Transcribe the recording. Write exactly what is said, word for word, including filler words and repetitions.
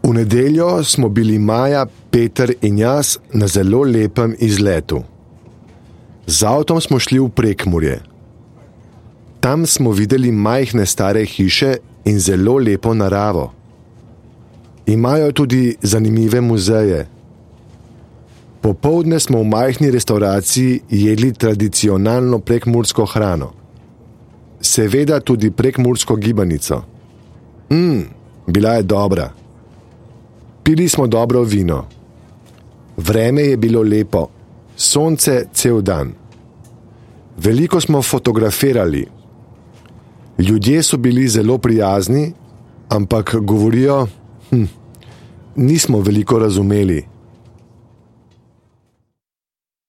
V nedeljo smo bili Maja, Peter in jaz na zelo lepem izletu. Z avtom smo šli v Prekmurje. Tam smo videli majhne stare hiše in zelo lepo naravo. Imajo tudi zanimive muzeje. Popoldne smo v majhni restavraciji jedli tradicionalno prekmursko hrano. Seveda tudi prekmursko gibanico. Mmm, bila je dobra. Pili smo dobro vino. Vreme je bilo lepo, sonce cel dan. Veliko smo fotografirali. Ljudje so bili zelo prijazni, ampak govorijo, hm, nismo veliko razumeli.